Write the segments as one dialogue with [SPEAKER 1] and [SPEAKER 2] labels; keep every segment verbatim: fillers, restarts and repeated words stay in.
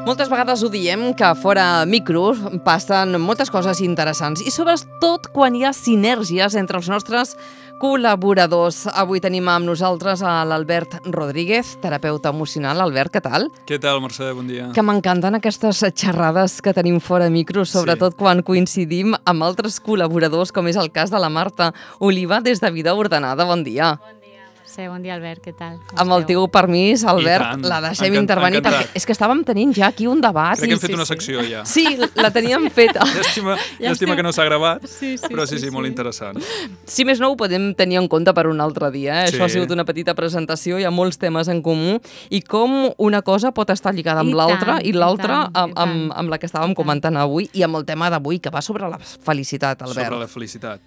[SPEAKER 1] Moltes vegades ho diem, que fora micros passen moltes coses interessants i sobretot quan hi ha sinergies entre els nostres col·laboradors. Avui tenim amb nosaltres a l'Albert Rodríguez, terapeuta emocional. Albert, què tal?
[SPEAKER 2] Què tal, Mercè? Bon dia.
[SPEAKER 1] Que m'encanten aquestes xerrades que tenim fora micros, sobretot sí. quan coincidim amb altres col·laboradors, com és el cas de la Marta Oliva des de Vida Ordenada. Bon dia.
[SPEAKER 3] Bon dia, Mercè. Bon dia, Albert. Què tal? Com
[SPEAKER 1] amb el teu permís, Albert,
[SPEAKER 2] tant.
[SPEAKER 1] la deixem
[SPEAKER 2] Encant,
[SPEAKER 1] intervenir.
[SPEAKER 2] encantat.
[SPEAKER 1] Perquè és que estàvem tenint ja aquí un debat.
[SPEAKER 2] Crec que hem fet
[SPEAKER 3] sí,
[SPEAKER 2] una
[SPEAKER 3] sí.
[SPEAKER 2] secció ja.
[SPEAKER 1] Sí, la teníem feta.
[SPEAKER 2] Llàstima,
[SPEAKER 3] Ja
[SPEAKER 2] llàstima
[SPEAKER 3] estem-
[SPEAKER 2] que no s'ha gravat,
[SPEAKER 3] Sí, sí,
[SPEAKER 2] però sí,
[SPEAKER 3] sí,
[SPEAKER 2] sí, molt
[SPEAKER 3] sí.
[SPEAKER 2] interessant.
[SPEAKER 1] Si més no, ho podem tenir en compte per un altre dia. Eh?
[SPEAKER 2] Sí.
[SPEAKER 1] Això ha sigut una petita presentació, hi ha molts temes en comú i com una cosa pot estar lligada amb
[SPEAKER 3] I
[SPEAKER 1] l'altra
[SPEAKER 3] tant,
[SPEAKER 1] i
[SPEAKER 3] i
[SPEAKER 1] l'altra
[SPEAKER 3] tant, i
[SPEAKER 1] amb, amb,
[SPEAKER 3] tant.
[SPEAKER 1] amb la que estàvem
[SPEAKER 3] I tant.
[SPEAKER 1] comentant avui i amb el tema d'avui, que va sobre la felicitat, Albert.
[SPEAKER 2] Sobre la felicitat.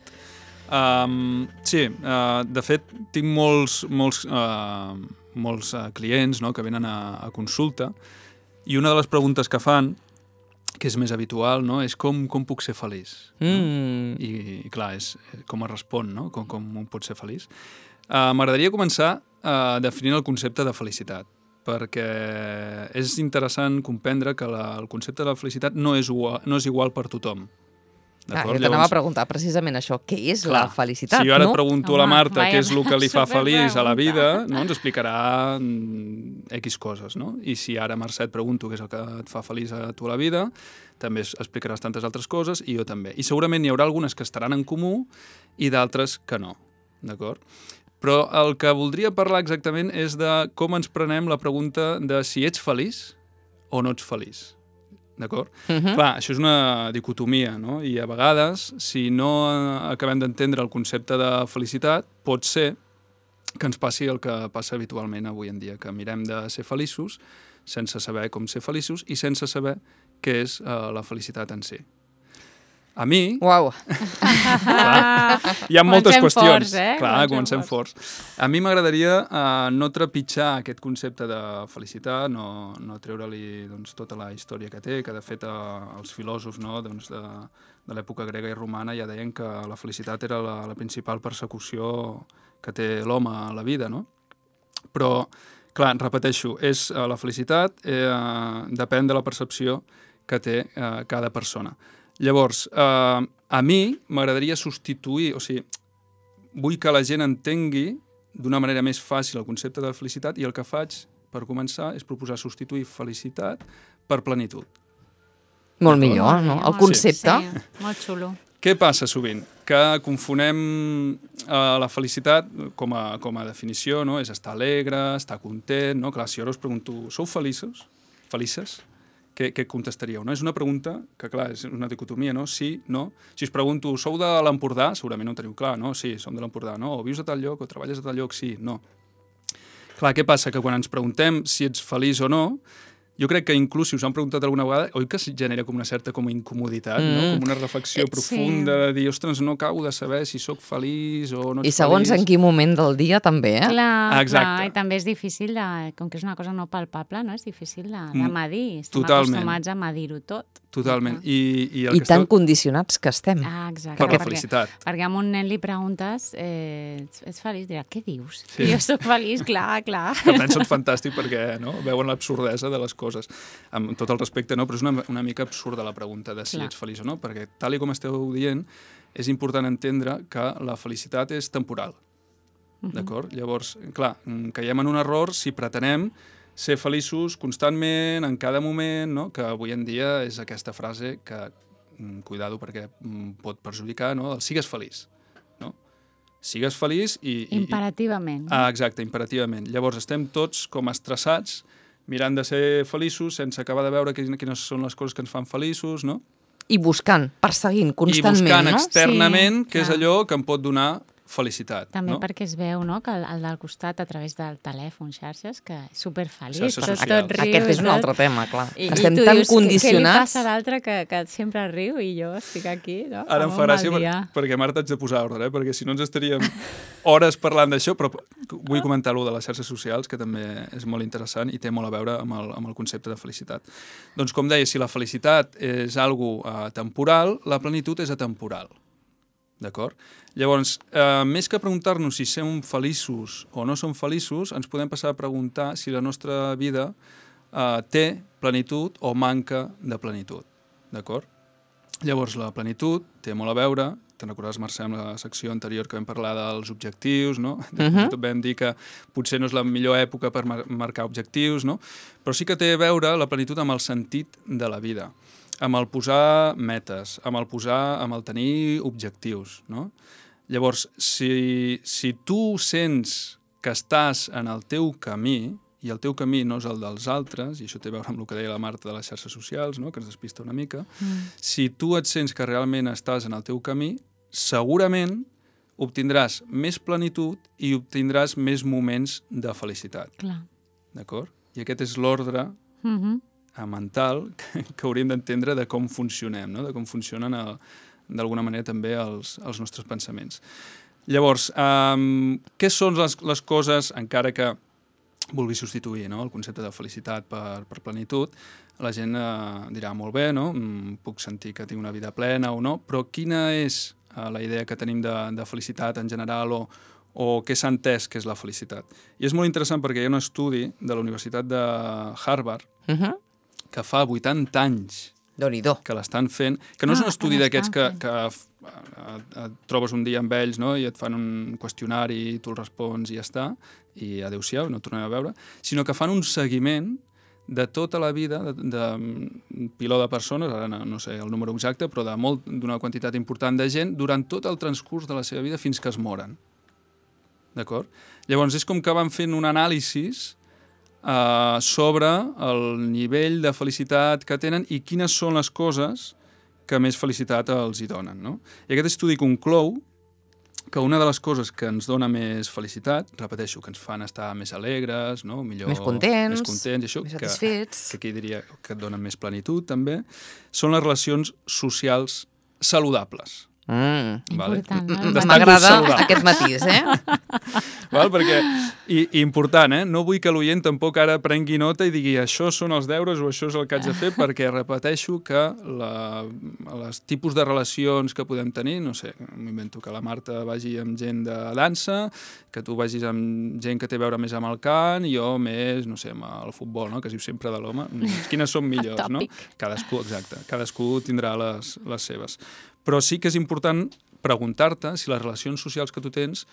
[SPEAKER 2] Um, sí, uh, de fet, tinc molts, molts, uh, molts uh, clients, no?, que venen a, a consulta i una de les preguntes que fan, que és més habitual, no?, és com, com puc ser feliç?
[SPEAKER 1] Mm.
[SPEAKER 2] I, i clar, és com es respon, no?, com, com un pot ser feliç. Uh, M'agradaria començar uh, definint el concepte de felicitat, perquè és interessant comprendre que la, el concepte de la felicitat no és igual, no és igual per tothom.
[SPEAKER 1] Ah,
[SPEAKER 2] D'acord?
[SPEAKER 1] jo t'anava
[SPEAKER 2] Llavors,
[SPEAKER 1] a preguntar precisament això, què és
[SPEAKER 2] clar,
[SPEAKER 1] la felicitat,
[SPEAKER 2] si jo ara
[SPEAKER 1] no?
[SPEAKER 2] et pregunto a la
[SPEAKER 3] Home,
[SPEAKER 2] Marta
[SPEAKER 3] vaja,
[SPEAKER 2] què és el que li fa feliç a la vida,
[SPEAKER 3] superpregunta.
[SPEAKER 2] no? Ens explicarà mm, X coses, no? I si ara, Mercè, et pregunto què és el que et fa feliç a tu a la vida, també es- explicaràs tantes altres coses i jo també. I segurament hi haurà algunes que estaran en comú i d'altres que no, d'acord? Però el que voldria parlar exactament és de com ens prenem la pregunta de si ets feliç o no ets feliç. D'acord?
[SPEAKER 1] Mhm.
[SPEAKER 2] Clar, això és una dicotomia, no? I a vegades, si no eh, acabem d'entendre el concepte de felicitat, pot ser que ens passi el que passa habitualment avui en dia, que mirem de ser feliços sense saber com ser feliços i sense saber què és eh, la felicitat en si. A mi,
[SPEAKER 1] Uau,
[SPEAKER 2] clar, hi ha moltes
[SPEAKER 3] Comencem
[SPEAKER 2] qüestions.
[SPEAKER 3] forts, eh?
[SPEAKER 2] Clar,
[SPEAKER 3] Comencem
[SPEAKER 2] comencem forts. A mi m'agradaria eh, no trepitjar aquest concepte de felicitat, no, no treure-li doncs, tota la història que té, que de fet eh, els filòsofs, no, doncs, de, de l'època grega i romana ja deien que la felicitat era la, la principal persecució que té l'home a la vida, no? Però, clar, repeteixo, és eh, la felicitat eh, depèn de la percepció que té eh, cada persona. Llavors, eh, a mi m'agradaria substituir, o sigui, vull que la gent entengui d'una manera més fàcil el concepte de felicitat i el que faig, per començar, és proposar substituir felicitat per plenitud.
[SPEAKER 1] molt millor, no? El
[SPEAKER 3] Molt-
[SPEAKER 1] concepte.
[SPEAKER 3] Sí, molt xulo.
[SPEAKER 2] Què passa sovint? Que confonem eh, la felicitat com a, com a definició, no? És estar alegre, estar content, no? Clar, si jo ara us pregunto, sou feliços? Felices? Què, què contestaríeu? No? És una pregunta que, clar, és una dicotomia, no? Sí, no. Si us pregunto, sou de l'Empordà? Segurament no ho teniu clar, no? Sí, som de l'Empordà, no? O vius a tal lloc, o treballes a tal lloc? Sí, no. Clar, què passa? Que quan ens preguntem si ets feliç o no, jo crec que inclús si us han preguntat alguna vegada, oi que es genera com una certa com a incomoditat,
[SPEAKER 1] Mm.
[SPEAKER 2] no? Com una reflexió
[SPEAKER 3] Eh,
[SPEAKER 2] profunda
[SPEAKER 3] sí.
[SPEAKER 2] de dir, ostres, no acabo de saber si sóc feliç o no ets
[SPEAKER 1] I segons
[SPEAKER 2] feliç.
[SPEAKER 1] en quin moment del dia també, eh?
[SPEAKER 3] Clar,
[SPEAKER 2] Exacte.
[SPEAKER 3] clar, i també és difícil, de, com que és una cosa no palpable, no? És difícil de, de
[SPEAKER 2] Mm,
[SPEAKER 3] medir. Estem
[SPEAKER 2] totalment.
[SPEAKER 3] acostumats a medir-ho tot.
[SPEAKER 2] Totalment. I, i el
[SPEAKER 1] I
[SPEAKER 2] que
[SPEAKER 1] tan
[SPEAKER 2] esteu...
[SPEAKER 1] condicionats que estem.
[SPEAKER 3] Ah, exacte.
[SPEAKER 2] Per la
[SPEAKER 3] perquè-
[SPEAKER 2] felicitat.
[SPEAKER 3] Perquè a un nen li preguntes, eh, ets, ets feliç? Dirà, què dius?
[SPEAKER 2] Sí.
[SPEAKER 3] Sí. Jo sóc feliç, clar, clar.
[SPEAKER 2] Per tant, són fantàstics perquè no? veuen l'absurdesa de les coses. Amb tot el respecte, no? Però és una, una mica absurda la pregunta de si
[SPEAKER 3] Clar.
[SPEAKER 2] ets feliç o no, perquè tal i com esteu dient, és important entendre que la felicitat és temporal. D'acord? Llavors, clar, mm, caiem en un error si pretenem ser feliços constantment, en cada moment, no? Que avui en dia és aquesta frase que, mm, cuidado perquè mm, pot perjudicar, no? El sigues feliç, no? Sigues feliç i... i
[SPEAKER 3] Imperativament.
[SPEAKER 2] Ah, exacte, imperativament. Llavors estem tots com estressats, mirant de ser feliços sense acabar de veure quines, quines són les coses que ens fan feliços, no?
[SPEAKER 1] I buscant, perseguint constantment,
[SPEAKER 2] I buscant
[SPEAKER 1] no?
[SPEAKER 2] externament
[SPEAKER 3] Sí,
[SPEAKER 2] què és
[SPEAKER 3] clar.
[SPEAKER 2] allò que em pot donar felicitat.
[SPEAKER 3] També
[SPEAKER 2] no?
[SPEAKER 3] perquè es veu, no?, que el, el del costat, a través del telèfon, xarxes, que és superfeliç,
[SPEAKER 2] Xarxes
[SPEAKER 3] tot,
[SPEAKER 2] socials.
[SPEAKER 3] tot riu.
[SPEAKER 1] Aquest és
[SPEAKER 3] i
[SPEAKER 1] un
[SPEAKER 3] tot.
[SPEAKER 1] altre tema, clar.
[SPEAKER 3] I,
[SPEAKER 1] Estem
[SPEAKER 3] i tu
[SPEAKER 1] tan
[SPEAKER 3] dius,
[SPEAKER 1] condicionats...
[SPEAKER 3] Què, què li passa a l'altre que, que sempre riu i jo estic aquí, no?
[SPEAKER 2] Ara em
[SPEAKER 3] Amb
[SPEAKER 2] fa
[SPEAKER 3] un
[SPEAKER 2] gràcia
[SPEAKER 3] mal
[SPEAKER 2] per,
[SPEAKER 3] dia.
[SPEAKER 2] perquè, Marta, haig de posar ordre, eh? Perquè si no ens estaríem hores parlant d'això, però vull comentar-lo de les xarxes socials, que també és molt interessant i té molt a veure amb el, amb el concepte de felicitat. Doncs, com deia, si la felicitat és algo uh, temporal, la plenitud és atemporal. D'acord? Llavors, eh, més que preguntar-nos si som feliços o no som feliços, ens podem passar a preguntar si la nostra vida eh, té plenitud o manca de plenitud, d'acord? Llavors, la plenitud té molt a veure, te'n recordes, Mercè, en la secció anterior que vam parlar dels objectius, no? Uh -huh. Vam dir que potser no és la millor època per mar marcar objectius, no? Però sí que té a veure la plenitud amb el sentit de la vida, amb el posar metes, amb el posar, amb el tenir objectius, no? Llavors, si, si tu sents que estàs en el teu camí, i el teu camí no és el dels altres, i això té a veure amb el que deia la Marta de les xarxes socials, no? Que ens despista una mica, mm. si tu et sents que realment estàs en el teu camí, segurament obtindràs més plenitud i obtindràs més moments de felicitat.
[SPEAKER 3] Clar.
[SPEAKER 2] D'acord? I aquest és l'ordre
[SPEAKER 3] Mm-hmm.
[SPEAKER 2] mental que, que hauríem d'entendre de com funcionem, no? De com funcionen d'alguna manera també els, els nostres pensaments. Llavors, um, què són les, les coses, encara que vulgui substituir, no?, el concepte de felicitat per, per plenitud, la gent eh, dirà molt bé, no? Puc sentir que tinc una vida plena o no, però quina és eh, la idea que tenim de, de felicitat en general o, o què s'ha entès que és la felicitat? I és molt interessant perquè hi ha un estudi de la Universitat de Harvard uh -huh. que fa vuitanta anys que l'estan fent, que no ah, és un estudi d'aquests que, que et, et trobes un dia amb ells, no?, i et fan un qüestionari i tu el respons i ja està, i adéu-siau, no et tornem a veure, sinó que fan un seguiment de tota la vida de, de piló de persones, ara no, no sé el número exacte, però d'una quantitat important de gent durant tot el transcurs de la seva vida fins que es moren. D'acord? Llavors és com que van fent un anàlisi Uh, sobre el nivell de felicitat que tenen i quines són les coses que més felicitat els hi donen, no? I aquest estudi conclou que una de les coses que ens dona més felicitat, repeteixo, que ens fan estar més alegres, no? Millor,
[SPEAKER 1] més contents,
[SPEAKER 2] més, contents això,
[SPEAKER 1] més satisfets,
[SPEAKER 2] que, que aquí diria que et donen més plenitud també, són les relacions socials saludables.
[SPEAKER 1] Mm.
[SPEAKER 2] Vale?
[SPEAKER 1] M'agrada aquest matís, eh?
[SPEAKER 2] Val? Perquè, i, i important, eh? No vull que l'oient tampoc ara prengui nota i digui això són els deures o això és el que haig de fer, perquè repeteixo que la, els tipus de relacions que podem tenir, no sé, m'invento que la Marta vagi amb gent de dansa, que tu vagis amb gent que té a veure més amb el cant, i jo més, no sé, amb el futbol, no?, que es diu sempre de l'home. Quines són millors, no? Cadascú, exacte, cadascú tindrà les, les seves. Però sí que és important preguntar-te si les relacions socials que tu tens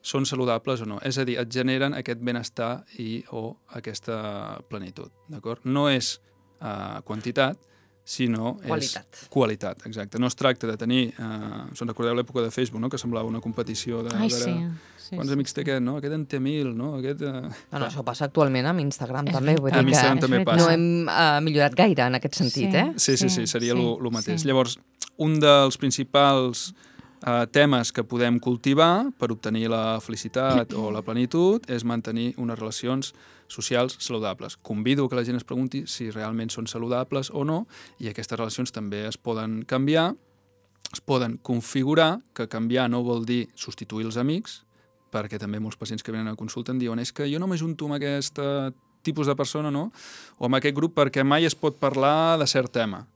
[SPEAKER 2] són saludables o no. És a dir, et generen aquest benestar i o aquesta plenitud, d'acord? No és uh, quantitat, sinó
[SPEAKER 1] qualitat.
[SPEAKER 2] És qualitat, exacte. No es tracta de tenir... Uh, se'n recordeu l'època de Facebook, no?, que semblava una competició de...
[SPEAKER 3] Ai, sí. Sí,
[SPEAKER 2] quants
[SPEAKER 3] sí,
[SPEAKER 2] amics té
[SPEAKER 3] sí.
[SPEAKER 2] aquest, no? Aquest en té mil, no? Aquest, uh...
[SPEAKER 1] no, no, això passa actualment amb Instagram, és també. Vull dir
[SPEAKER 2] amb Instagram
[SPEAKER 1] que
[SPEAKER 2] també passa.
[SPEAKER 1] No hem uh, millorat gaire en aquest sentit,
[SPEAKER 3] sí,
[SPEAKER 1] eh?
[SPEAKER 2] Sí, sí, sí, seria el sí, mateix.
[SPEAKER 3] Sí.
[SPEAKER 2] Llavors, un dels principals uh, temes que podem cultivar per obtenir la felicitat o la plenitud és mantenir unes relacions socials saludables. Convido que la gent es pregunti si realment són saludables o no, i aquestes relacions també es poden canviar, es poden configurar, que canviar no vol dir substituir els amics, perquè també molts pacients que venen a consulta em diuen és que jo no m'ajunto amb aquest tipus de persona, no?, o amb aquest grup perquè mai es pot parlar de cert tema.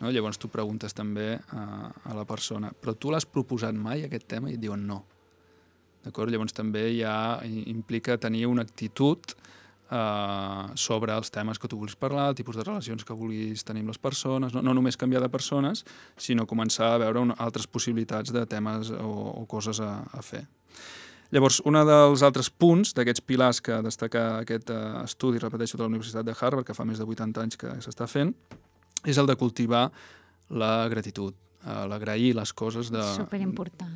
[SPEAKER 2] No? Llavors tu preguntes també a, a la persona, però tu l'has proposat mai aquest tema? I et diuen no. D'acord? Llavors també ja implica tenir una actitud uh, sobre els temes que tu vulguis parlar, el tipus de relacions que vulguis tenir amb les persones, no, no només canviar de persones, sinó començar a veure una, altres possibilitats de temes o, o coses a, a fer. Llavors, un dels altres punts d'aquests pilars que destaca aquest uh, estudi, repeteixo, de la Universitat de Harvard, que fa més de vuitanta anys que s'està fent, és el de cultivar la gratitud, uh, l'agrair les coses de,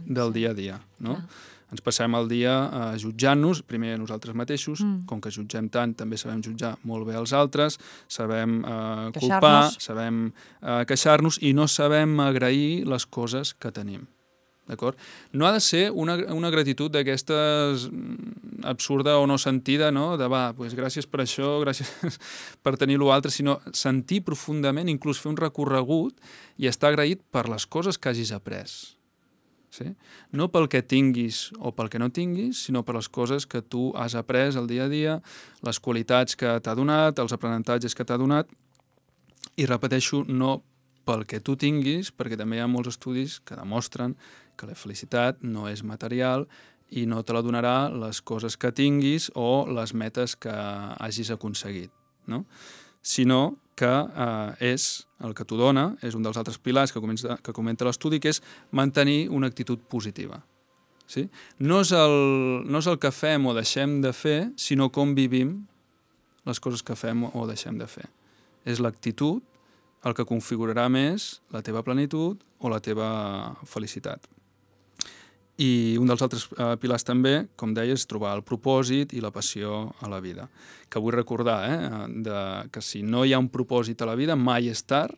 [SPEAKER 2] del dia a dia. No? Clar. Ens passem el dia uh, jutjant-nos, primer a nosaltres mateixos, mm. com que jutgem tant, també sabem jutjar molt bé els altres, sabem uh, culpar, sabem uh, queixar-nos i no sabem agrair les coses que tenim. D'acord? No ha de ser una, una gratitud d'aquestes absurda o no sentida, no?, de va, doncs gràcies per això, gràcies per tenir l'altre, sinó sentir profundament, inclús fer un recorregut i estar agraït per les coses que hagis après. Sí? No pel que tinguis o pel que no tinguis, sinó per les coses que tu has après el dia a dia, les qualitats que t'ha donat, els aprenentatges que t'ha donat, i repeteixo, no pel que tu tinguis, perquè també hi ha molts estudis que demostren que la felicitat no és material i no te la donarà les coses que tinguis o les metes que hagis aconseguit. no? Sinó que eh, és el que t'ho dona, és un dels altres pilars que, comença, que comenta l'estudi, que és mantenir una actitud positiva. Sí? No és el, no és el que fem o deixem de fer, sinó com vivim les coses que fem o deixem de fer. És l'actitud el que configurarà més la teva plenitud o la teva felicitat. I un dels altres eh, pilars també, com deia, és trobar el propòsit i la passió a la vida. Que vull recordar eh, de, que si no hi ha un propòsit a la vida, mai és tard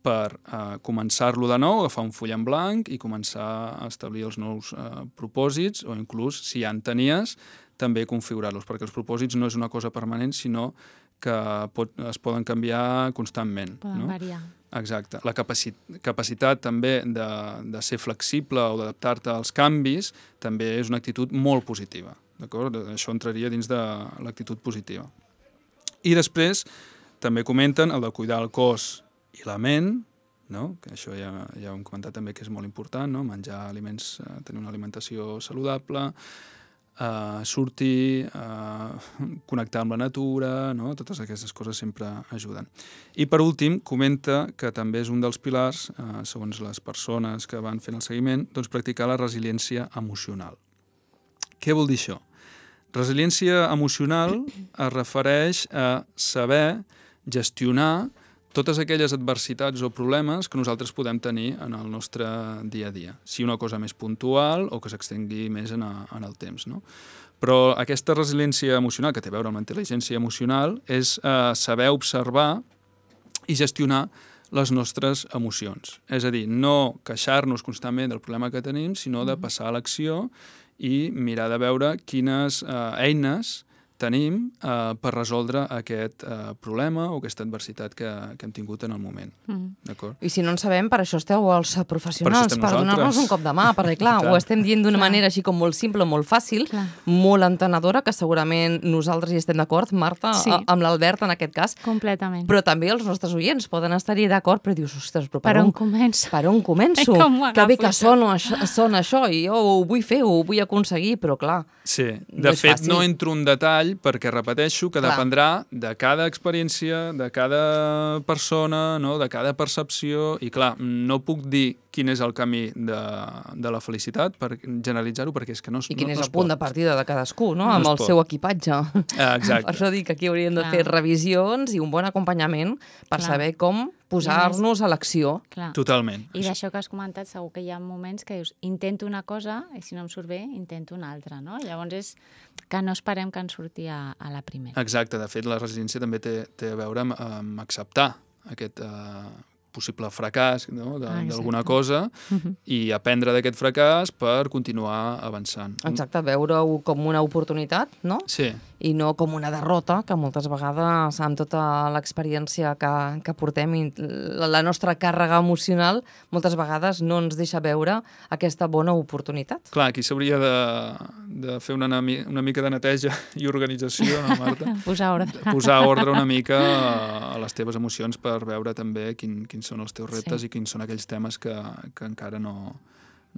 [SPEAKER 2] per eh, començar-lo de nou, agafar un full en blanc i començar a establir els nous eh, propòsits, o inclús, si ja en tenies, també configurar-los, perquè els propòsits no és una cosa permanent, sinó que pot, es poden canviar constantment.
[SPEAKER 3] Poden
[SPEAKER 2] no?
[SPEAKER 3] variar.
[SPEAKER 2] Exacte. La capaci capacitat també de, de ser flexible o d'adaptar-te als canvis també és una actitud molt positiva. D'acord? Això entraria dins de l'actitud positiva. I després també comenten el de cuidar el cos i la ment, no? Que això ja, ja ho hem comentat també que és molt important, no? Menjar aliments, tenir una alimentació saludable, Uh, sortir, uh, connectar amb la natura, no? Totes aquestes coses sempre ajuden. I per últim, comenta que també és un dels pilars, uh, segons les persones que van fent el seguiment, doncs practicar la resiliència emocional. Què vol dir això? Resiliència emocional es refereix a saber gestionar totes aquelles adversitats o problemes que nosaltres podem tenir en el nostre dia a dia. Si una cosa més puntual o que s'extengui més en, a, en el temps. No? Però aquesta resiliència emocional, que té a veure amb la intel·ligència emocional, és eh, saber observar i gestionar les nostres emocions. És a dir, no queixar-nos constantment del problema que tenim, sinó de passar a l'acció i mirar de veure quines eh, eines tenim eh, per resoldre aquest eh, problema o aquesta adversitat que, que hem tingut en el moment. Mm. D'acord?
[SPEAKER 1] I si no en sabem, per això esteu els professionals, per,
[SPEAKER 2] per
[SPEAKER 1] donar-nos un cop de mà, perquè clar, ho estem dient d'una manera així com molt simple, molt fàcil, clar. Molt entenedora, que segurament nosaltres hi estem d'acord, Marta, sí. a, amb l'Albert en aquest cas.
[SPEAKER 3] Completament.
[SPEAKER 1] Però també els nostres oients poden estar-hi d'acord, però dius, ostres, però per,
[SPEAKER 3] per on,
[SPEAKER 1] on
[SPEAKER 3] començo?
[SPEAKER 1] Per on començo? Que bé que sona això, sona això i jo ho vull fer, ho vull aconseguir, però clar,
[SPEAKER 2] sí, de
[SPEAKER 1] no és
[SPEAKER 2] fet
[SPEAKER 1] fàcil.
[SPEAKER 2] No entro en detall perquè repeteixo que clar. Dependrà de cada experiència, de cada persona, no? De cada percepció i clar, no puc dir quin és el camí de, de la felicitat per generalitzar-ho perquè és que no es pot.
[SPEAKER 1] I quin
[SPEAKER 2] no,
[SPEAKER 1] és
[SPEAKER 2] no
[SPEAKER 1] el punt
[SPEAKER 2] pot.
[SPEAKER 1] de partida de cadascú, no?
[SPEAKER 2] no
[SPEAKER 1] Amb el
[SPEAKER 2] pot.
[SPEAKER 1] seu equipatge.
[SPEAKER 2] Ah, exacte.
[SPEAKER 1] Per això dic que aquí hauríem de
[SPEAKER 3] clar.
[SPEAKER 1] fer revisions i un bon acompanyament per clar. Saber com posar-nos a l'acció.
[SPEAKER 3] Clar.
[SPEAKER 2] Totalment.
[SPEAKER 3] I d'això que has comentat, segur que hi ha moments que dius, intento una cosa i si no em surt bé, intento una altra, no? Llavors és que no esperem que ens surti a, a la primera.
[SPEAKER 2] Exacte, de fet la resiliència també té, té a veure amb, amb acceptar aquest eh, possible fracàs, no? d'alguna cosa uh-huh. i aprendre d'aquest fracàs per continuar avançant.
[SPEAKER 1] Exacte, veure-ho com una oportunitat, no?
[SPEAKER 2] Sí.
[SPEAKER 1] I no com una derrota, que moltes vegades, amb tota l'experiència que, que portem, i la, la nostra càrrega emocional, moltes vegades no ens deixa veure aquesta bona oportunitat.
[SPEAKER 2] Clar, aquí s'hauria de, de fer una, una mica de neteja i organització, no, Marta?
[SPEAKER 3] Posar ordre.
[SPEAKER 2] Posar ordre una mica a les teves emocions per veure també quin, quins són els teus reptes sí. I quins són aquells temes que, que encara no,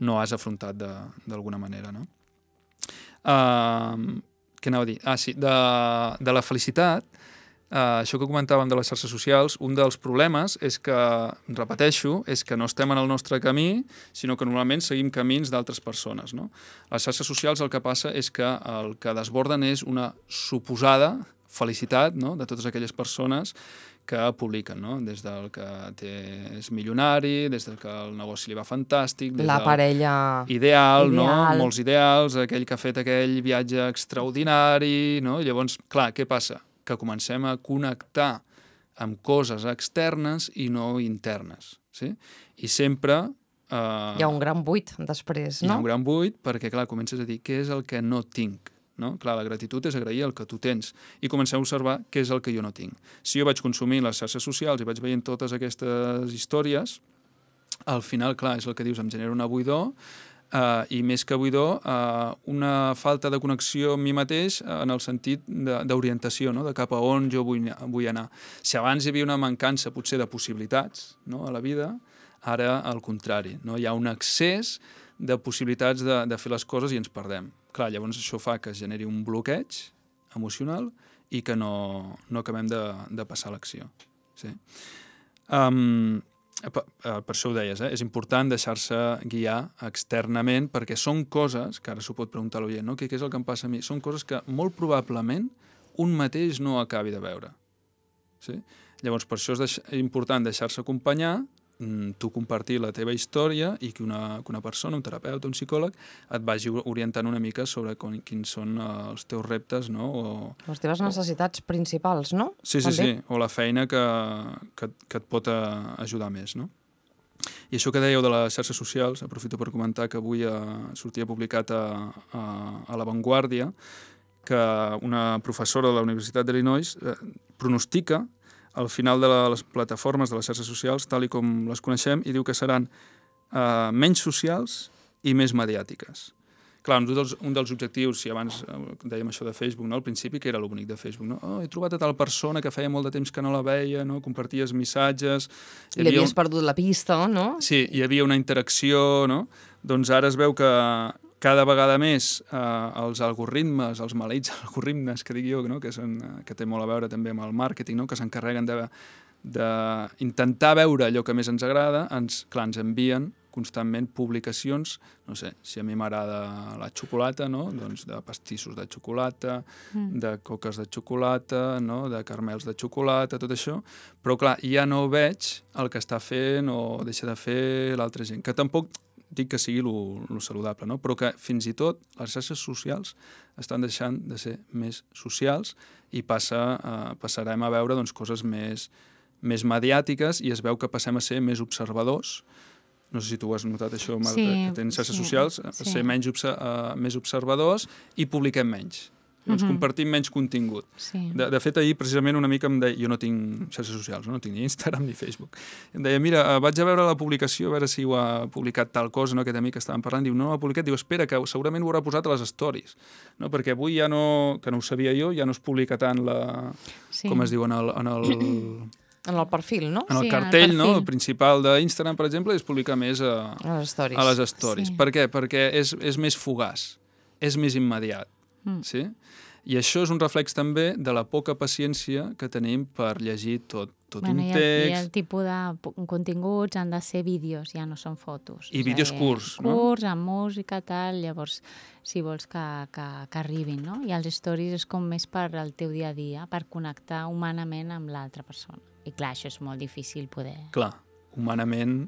[SPEAKER 2] no has afrontat d'alguna manera, no? Uh, què anava a dir? Ah, sí, de, de la felicitat, uh, això que comentàvem de les xarxes socials, un dels problemes és que, repeteixo, és que no estem en el nostre camí, sinó que normalment seguim camins d'altres persones, no? Les xarxes socials el que passa és que el que desborden és una suposada felicitat, no?, de totes aquelles persones que publiquen, no? Des del que té, és milionari, des del que el negoci li va fantàstic, des
[SPEAKER 1] la parella
[SPEAKER 2] ideal,
[SPEAKER 1] ideal,
[SPEAKER 2] no? Molts ideals, aquell que ha fet aquell viatge extraordinari, no? I llavors, clar, què passa? Que comencem a connectar amb coses externes i no internes, sí? I sempre eh,
[SPEAKER 1] hi ha un gran buit després, no?
[SPEAKER 2] Hi ha un gran buit perquè, clar, comences a dir què és el que no tinc. No? Clar, la gratitud és agrair el que tu tens i comencem a observar què és el que jo no tinc. Si jo vaig consumir les xarxes socials i vaig veient totes aquestes històries, al final, clar, és el que dius, em genera una buidor eh, i més que buidor, eh, una falta de connexió amb mi mateix en el sentit d'orientació, no? De cap a on jo vull, vull anar. Si abans hi havia una mancança potser de possibilitats, no? A la vida, ara al contrari, no? Hi ha un excés de possibilitats de, de fer les coses i ens perdem. Clar, llavors això fa que es generi un bloqueig emocional i que no, no acabem de, de passar a l'acció. Sí. Um, per, per això ho deies, eh? És important deixar-se guiar externament perquè són coses, que ara s'ho pot preguntar l'oient, no? Què, què és el que em passa a mi? Són coses que molt probablement un mateix no acabi de veure. Sí? Llavors, per això és deix important deixar-se acompanyar, tu compartir la teva història i que una, que una persona, un terapeuta, un psicòleg, et vagi orientant una mica sobre com, quins són uh, els teus reptes, no? O,
[SPEAKER 1] les teves necessitats o... principals, no?
[SPEAKER 2] Sí, sí,
[SPEAKER 1] També.
[SPEAKER 2] sí, o la feina que, que, que et pot uh, ajudar més, no? I això que dèieu de les xarxes socials, aprofito per comentar que avui uh, sortia publicat a, a, a La Vanguardia que una professora de la Universitat d'Illinois uh, pronostica al final de les plataformes, de les xarxes socials, tal i com les coneixem, i diu que seran eh, menys socials i més mediàtiques. Clar, un dels, un dels objectius, si abans eh, dèiem això de Facebook, no? Al principi, que era lo bonic de Facebook, no? Oh, he trobat a tal persona que feia molt de temps que no la veia, no? Comparties missatges...
[SPEAKER 1] I li havies un... perdut la pista, no?
[SPEAKER 2] Sí, hi havia una interacció, no? Doncs ara es veu que cada vegada més eh, els algoritmes, els maleïts algoritmes, que dic jo, no? que, són, que té molt a veure també amb el màrqueting, no? Que s'encarreguen d'intentar veure allò que més ens agrada, ens, clar, ens envien constantment publicacions, no sé, si a mi m'agrada la xocolata, no? Doncs de pastissos de xocolata, mm. de coques de xocolata, no? De caramels de xocolata, tot això, però clar, ja no veig el que està fent o deixa de fer l'altra gent, que tampoc dic que sigui lo saludable, no? Però que fins i tot les xarxes socials estan deixant de ser més socials i passa, eh, passarem a veure doncs, coses més, més mediàtiques i es veu que passem a ser més observadors. No sé si tu ho has notat, això, Marta, sí, que tens xarxes sí, socials, sí. ser menys obse uh, més observadors i publiquem menys. Llavors, mm-hmm. compartim menys contingut. Sí. De, de fet, ahir precisament una mica em deia... Jo no tinc xarxes socials, no, no tinc ni Instagram ni Facebook. Em deia, mira, vaig a veure la publicació, a veure si ho ha publicat tal cosa, no, aquest amic que estàvem parlant. Diu, no, no ho ha publicat. Diu, espera, que segurament ho haurà posat a les stories. No? Perquè avui ja no... Que no ho sabia jo, ja no es publica tant la... Sí. Com es diu, en el... En el
[SPEAKER 1] en el perfil, no?
[SPEAKER 2] En el
[SPEAKER 1] sí,
[SPEAKER 2] cartell,
[SPEAKER 1] en el
[SPEAKER 2] no? El principal d'Instagram, per exemple, es publica més a,
[SPEAKER 1] a les stories.
[SPEAKER 2] A les stories. Sí. Per què? Perquè és, és més fugaç, és més immediat. Mm. Sí? I això és un reflex també de la poca paciència que tenim per llegir tot, tot
[SPEAKER 3] bueno,
[SPEAKER 2] un
[SPEAKER 3] i el,
[SPEAKER 2] text.
[SPEAKER 3] I el tipus de continguts han de ser vídeos, ja no són fotos.
[SPEAKER 2] I vídeos curts, no?
[SPEAKER 3] Curts, amb música, tal, llavors, si vols que, que, que arribin, no? I els stories és com més per al teu dia a dia, per connectar humanament amb l'altra persona. I clar, això és molt difícil poder...
[SPEAKER 2] Clar, humanament...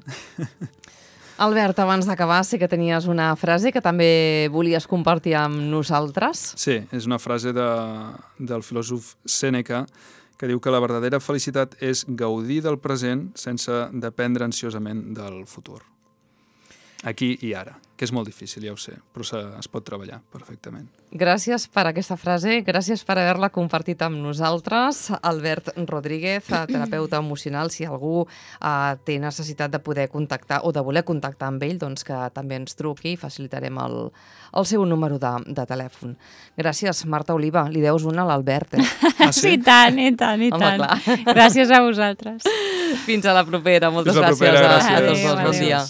[SPEAKER 1] Albert, abans d'acabar, sí que tenies una frase que també volies compartir amb nosaltres.
[SPEAKER 2] Sí, és una frase de, del filòsof Sèneca que diu que la verdadera felicitat és gaudir del present sense dependre ansiosament del futur. Aquí i ara, que és molt difícil, ja ho sé, però es pot treballar perfectament.
[SPEAKER 1] Gràcies per aquesta frase, gràcies per haver-la compartit amb nosaltres. Albert Rodríguez, terapeuta emocional, si algú eh, té necessitat de poder contactar o de voler contactar amb ell, doncs que també ens truqui i facilitarem el, el seu número de, de telèfon. Gràcies, Marta Oliva. Li deus una a l'Albert, eh?
[SPEAKER 3] Ah, sí? I tant, i tant, i
[SPEAKER 1] Home,
[SPEAKER 3] tant.
[SPEAKER 1] Clar.
[SPEAKER 3] Gràcies a vosaltres.
[SPEAKER 1] Fins a la propera. Moltes
[SPEAKER 2] Fins la propera,
[SPEAKER 1] gràcies.
[SPEAKER 2] gràcies.
[SPEAKER 1] A tots dos. Bon dia.